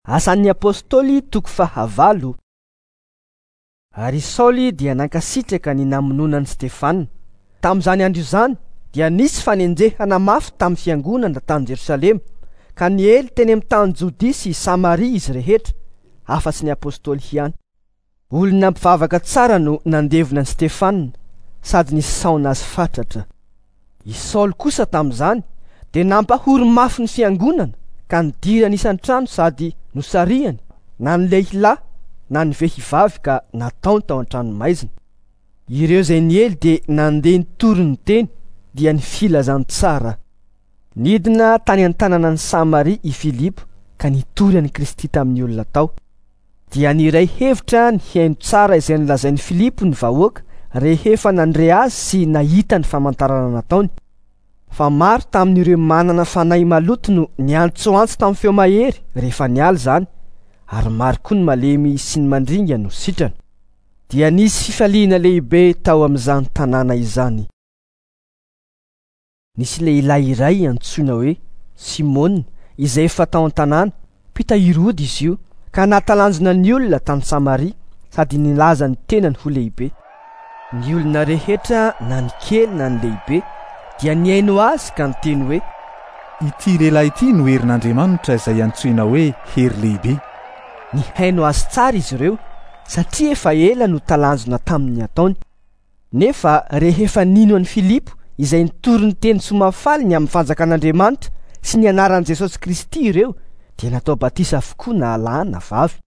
Asan'ny Apostoly toko fahavalo. Ary i Saoly dia nankasitraka ny namonoana an'i Stefana. Tamin'izany andro izany dia nisy fanenjehana mafy tamin'ny fiangonana tany Jerosalema, ka niely teny amin'ny tany Jodia sy Samaria izy rehetra, afa-tsy ny apostoly ihany. Olona mpivavaka tsara no nandevona an'i Stefana sady nisaona azy fatratra. I Saoly kosa tamin'izany dia nampahory mafy ny fiangonana ka nidirany isan-trano sady nosarihany na ny lehilahy na ny vehivavy ka nataony tao an-tranomaizina. Ireo izay niely dia nandeha nitory ny teny, dia ny filazantsara. Nidina tany an-tanànan'i Samaria i Filipo ka nitory an'i Kristy tamin'ny olona tao. Dia niray hevitra nihaino tsara izay nolazain'i Filipo ny vahoaka rehefa nandre azy sy nahita ny famantarana nataony. Fa maro tamin'ireo manana fanahy maloto no niantsoantso tamin'ny feo mahery rehefa niala izany, ary maro koa ny malemy sy ny mandringa no sitrana. Dia nisy fifaliana lehibe tao amin'izany tanàna izany. Nisy lehilahy iray antsoina hoe Simona izay efa tao an-tanàna, mpitahiry ody izy io, ka nahatalanjona ny olona tany Samaria sady nilaza ny tenany ho lehibe. Ny olona rehetra na ny kely na ny lehibe dia nihaino azy ka niteny hoe. Ity lehilahy ity no herin'Andriamanitra izay antsoina hoe hery lehibe. Nihaino azy tsara izy ireo satria efa ela no talanjona tamin'ny ataony. Nefa rehefa nino an'i Filipo izay nitory ny teny soa mahafaly ny amin'ny fanjakan'Andriamanitra sy ny anaran'i Jesosy Kristy ireo, dia natao batisa avokoa na lahy na vavy.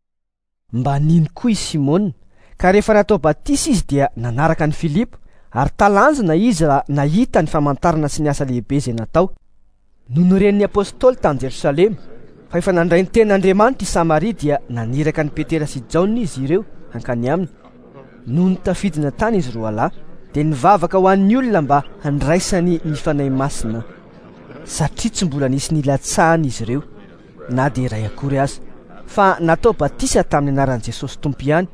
Mba nino koa i Simona, ka rehefa natao batisa izy dia nanaraka an'i Filipo, ary talanjona izy raha nahita ny famantarana sy ny asa lehibe izay natao. Nony ren'ny apostoly tany Jerosalema fa efa nandray ny tenin'Andriamanitra i Samaria dia naniraka an'i Petera sy Jaona izy ireo hankany aminy. Nony tafidina tany izy roalahy dia nivavaka ho an'ny olona mba handraisany ny Fanahy Masina, satria tsy mbola nisy nilatsahany izy ireo na dia iray akory aza, fa natao batisa tamin'ny anaran'i Jesosy Tompo ihany.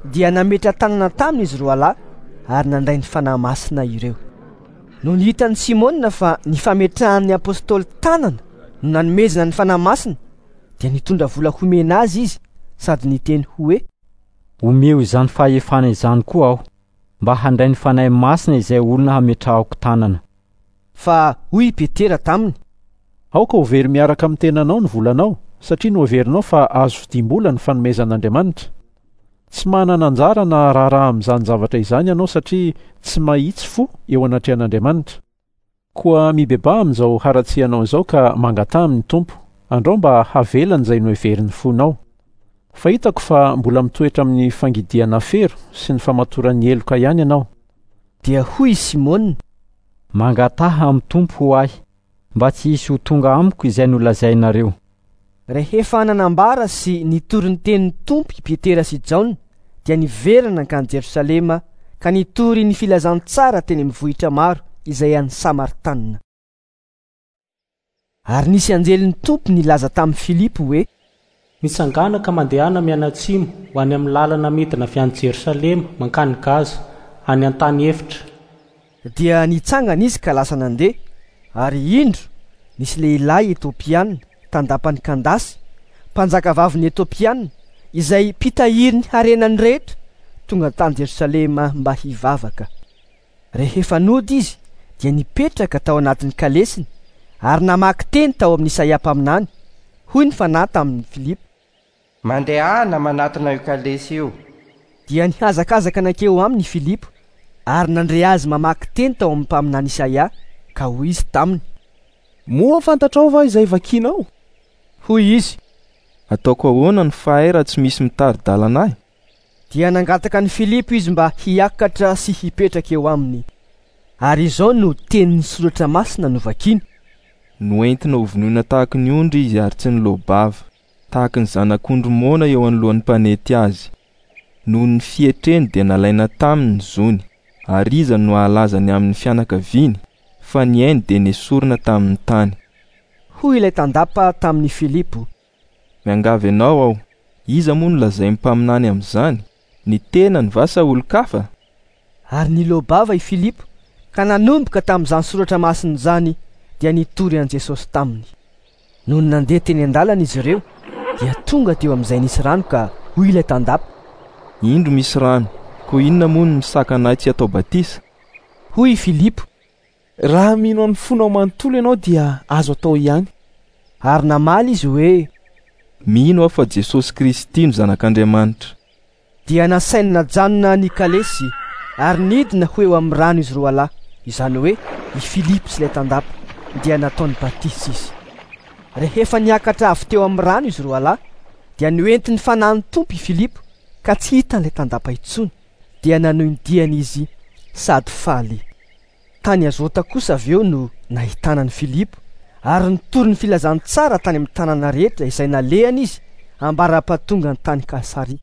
Dia nametra-tanana taminy izy roalahy ary nandray ny Fanahy Masina ireo. Nony hitan'i Simona fa ny fametrahan'ny apostoly tanana no nanomezana ny Fanahy Masina, dia nitondra vola homena azy izy sady niteny hoe. Omeo izany fahefana izany koa aho, mba handray ny Fanahy Masina izay olona hametrahako tanana. Fa hoy i Petera taminy. Aoka ho very miaraka amin'ny tenanao ny volanao, satria noheverinao fa azo vidiam-bola ny fanomezan'Andriamanitra. Tsy manana anjara na raharaha amin'izany zavatra izany ianao satria tsy mahitsy fo eo anatrehan'Andriamanitra. Koa mibebaha amin'izao haratsianao izao ka mangataha amin'ny Tompo, andrao mba havelany izay noheverin'ny fonao. Fa hitako fa mbola mitoetra amin'ny fangidiana afero sy ny famatoran'ny heloka ihany ianao. Dia hoy i Simona. Mangataha amin'ny Tompo ho ahy, mba tsy hisy ho tonga amiko izay nolazainareo. Rehefa nanambara sy nitory ny tenin'ny Tompo i Petera sy Jaona, dia niverina nankany Jerosalema ka nitory ny filazantsara teny amin'ny vohitra maro izay an'ny Samaritanina. Ary nisy anjelin'ny Tompo nilaza tamin'i Filipo hoe. Mitsangàna ka mandehana mianatsimo ho any amin'ny lalana midina avy any Jerosalema mankany Gaza, any an-tany efitra. Dia nitsangana izy ka lasa nandeha, ary indro, nisy lehilahy Etiopiana, tandapan'i Kandasy, mpanjakavavin'ny Etiopiana, izay mpitahiry ny harenany rehetra, tonga tany Jerosalema mba hivavaka. Rehefa nody izy, dia nipetraka tao anatin'ny kalesiny, ary namaky teny tao amin'i Isaia mpaminany. Hoy ny Fanahy tamin'i Filipo. Mandehana manatona io kalesy io. Dia nihazakazaka nankeo aminy i Filipo, ary nandre azy mamaky teny tao amin'ny mpaminany Isaia, ka hoy izy taminy. Moa fantatrao va izay vakinao? Hoy izy. Ataoko ahoana no fahay raha tsy misy mitari-dalana ahy? Dia nangataka an'i Filipo izy mba hiakatra sy hipetraka eo aminy. Ary izao no tenin'ny Soratra Masina novakiny. Noentina hovonoina tahaka ny ondry izy ary tsy niloa-bava. tahaka ny zanak'ondry moana eo anoloan'ny mpanety azy. Noho ny fietreny dia nalaina taminy ny zony, ary iza no hahalaza ny amin'ny fianakaviany, fa ny ainy dia nesorina tamin'ny tany. Hoy ilay tandapa tamin'i Filipo. Miangavy anao aho, iza moa no lazain'ny mpaminany amin'izany, ny tenany va sa olon-kafa? Ary niloa-bava i Filipo, ka nanomboka tamin'izany soratra masina izany dia nitory an'i Jesosy taminy. Nony nandeha teny an-dalana izy ireo, Dia tonga teo amin'izay nisy rano ka hoy ilay tandapa: Indro misy rano, koa inona moa no misakana ahy tsy hatao batisa? Hoy i Filipo: Raha mino amin'ny fonao manontolo ianao dia azo atao ihany. Ary namaly izy hoe: Mino aho fa Jesosy Kristy no Zanak'Andriamanitra. Dia nasainy najanona ny kalesy ary nidina ho eo amin'ny rano izy roalahy, izany hoe i Filipo sy ilay tandapa, dia nataony batisa izy. Rehefa niakatra avy teo amin'ny rano izy roalahy, dia noentin'ny Fanahin'ny Tompo i Filipo ka tsy hitan'ilay tandapa intsony, dia nanohy ny diany izy sady faly. Tany Azota kosa avy eo no nahitana an'i Filipo, ary nitory ny filazantsara tany amin'ny tanàna rehetra izay nalehany izy ambara-pahatongany tany Kaisaria.